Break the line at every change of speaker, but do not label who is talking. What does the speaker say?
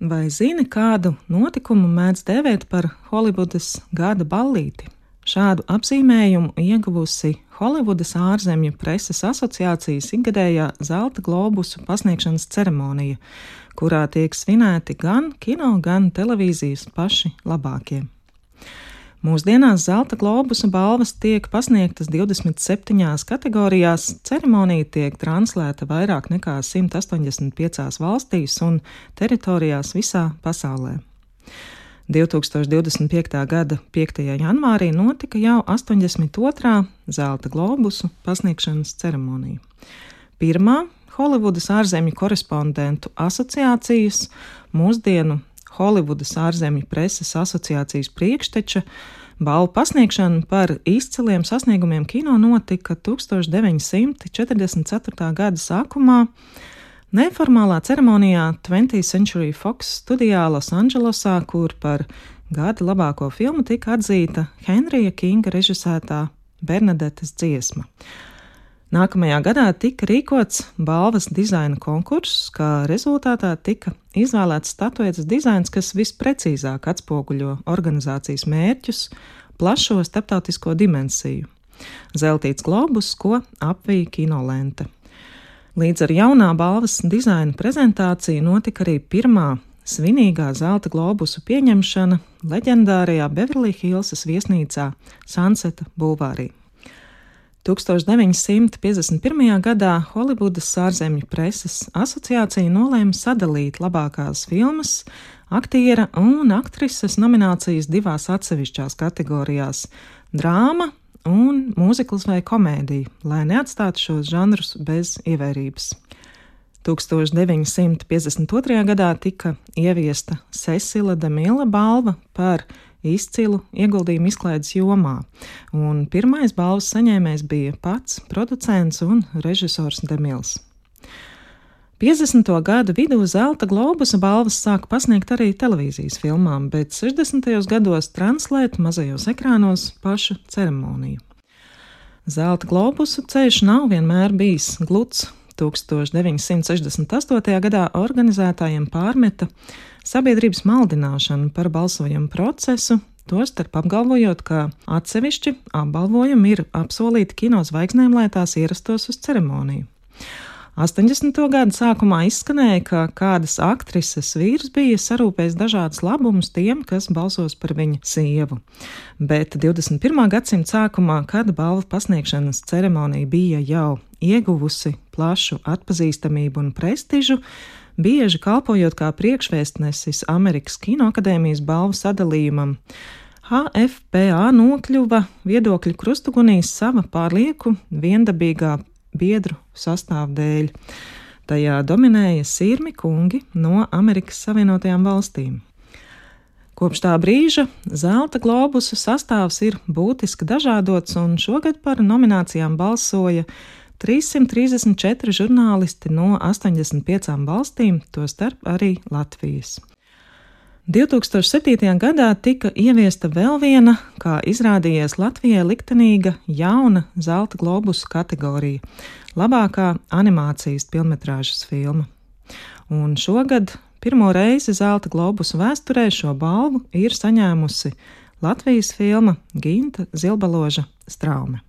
Vai zini, kādu notikumu mēdz dēvēt par Holivudas gada ballīti? Šādu apzīmējumu ieguvusi Holivudas ārzemju preses asociācijas ikgadējā Zelta globusu pasniegšanas ceremonija, kurā tiek svinēti gan kino, gan televīzijas paši labākie. Mūsdienās Zelta globusa balvas tiek pasniegtas 27 kategorijās, ceremonija tiek translēta vairāk nekā 185 valstīs un teritorijās visā pasaulē. 2025. gada 5. janvārī notika jau 82. Zelta globusu pasniegšanas ceremonija. Pirmā Holivudas ārzemju korespondentu asociācijas, mūsdienu Holivudas ārzemju preses asociācijas priekšteča, balvu pasniegšana par izciliem sasniegumiem kino notika 1944. gada sākumā neformālā ceremonijā 20th Century Fox studijā Losandželosā, kur par gada labāko filmu tika atzīta Henrija Kinga režisētā Bernadetes dziesma. Nākamajā gadā tika rīkots balvas dizaina konkurss, kā rezultātā tika izvēlēts statuetes dizains, kas visprecīzāk atspoguļo organizācijas mērķus, plašo starptautisko dimensiju. Zeltīts globus, ko apvija kinolente. Līdz ar jaunā balvas dizaina prezentāciju notika arī pirmā svinīgā Zelta globusu pieņemšana leģendārajā Beverly Hillsas viesnīcā Sunseta bulvārī. 1951. gadā Holivudas ārzemju preses asociācija nolēma sadalīt labākās filmas, aktiera un aktrises nominācijas divās atsevišķās kategorijās – drāma un mūzikls vai komēdija, lai neatstātu šos žanrus bez ievērības. 1952. gadā tika ieviesta Cecila DeMille balva par izcilu ieguldījumu izklaides jomā, un pirmais balvas saņēmējs bija pats producents un režisors DeMilles. 50. gadu vidū Zelta globusa balvas sāka pasniegt arī televīzijas filmām, bet 60. gados translēt mazajos ekrānos pašu ceremoniju. Zelta globusu ceļš nav vienmēr bijis gluds. 1968. gadā organizētājiem pārmeta sabiedrības maldināšanu par balsojumu procesu, tostarp apgalvojot, ka atsevišķi apbalvojumi ir apsolīti kinozvaigznēm, lai tās ierastos uz ceremoniju. 80. gada sākumā izskanēja, ka kādas aktrises vīrs bija sarūpējis dažādus labumus tiem, kas balsos par viņa sievu. Bet 21. gadsimta sākumā, kad balvu pasniegšanas ceremonija bija jau ieguvusi plašu atpazīstamību un prestižu, bieži kalpojot kā priekšvēstnesis Amerikas Kinoakadēmijas balvu sadalījumam, HFPA nokļuva viedokļu krustugunīs sava pārlieku viendabīgā biedru sastāvdēļ. Tajā dominēja sirmi kungi no Amerikas Savienotajām valstīm. Kopš tā brīža Zelta globusu sastāvs ir būtiski dažādots, un šogad par nominācijām balsoja 334 žurnālisti no 85 valstīm, tostarp arī Latvijas. 2007. gadā tika ieviesta vēl viena, kā izrādījies Latvijai liktenīga, jauna Zelta globusu kategorija – labākā animācijas pilnmetrāžas filma. Un šogad pirmo reizi Zelta globusu vēsturē šo balvu ir saņēmusi Latvijas filma Ginta Zilbaloža Straume.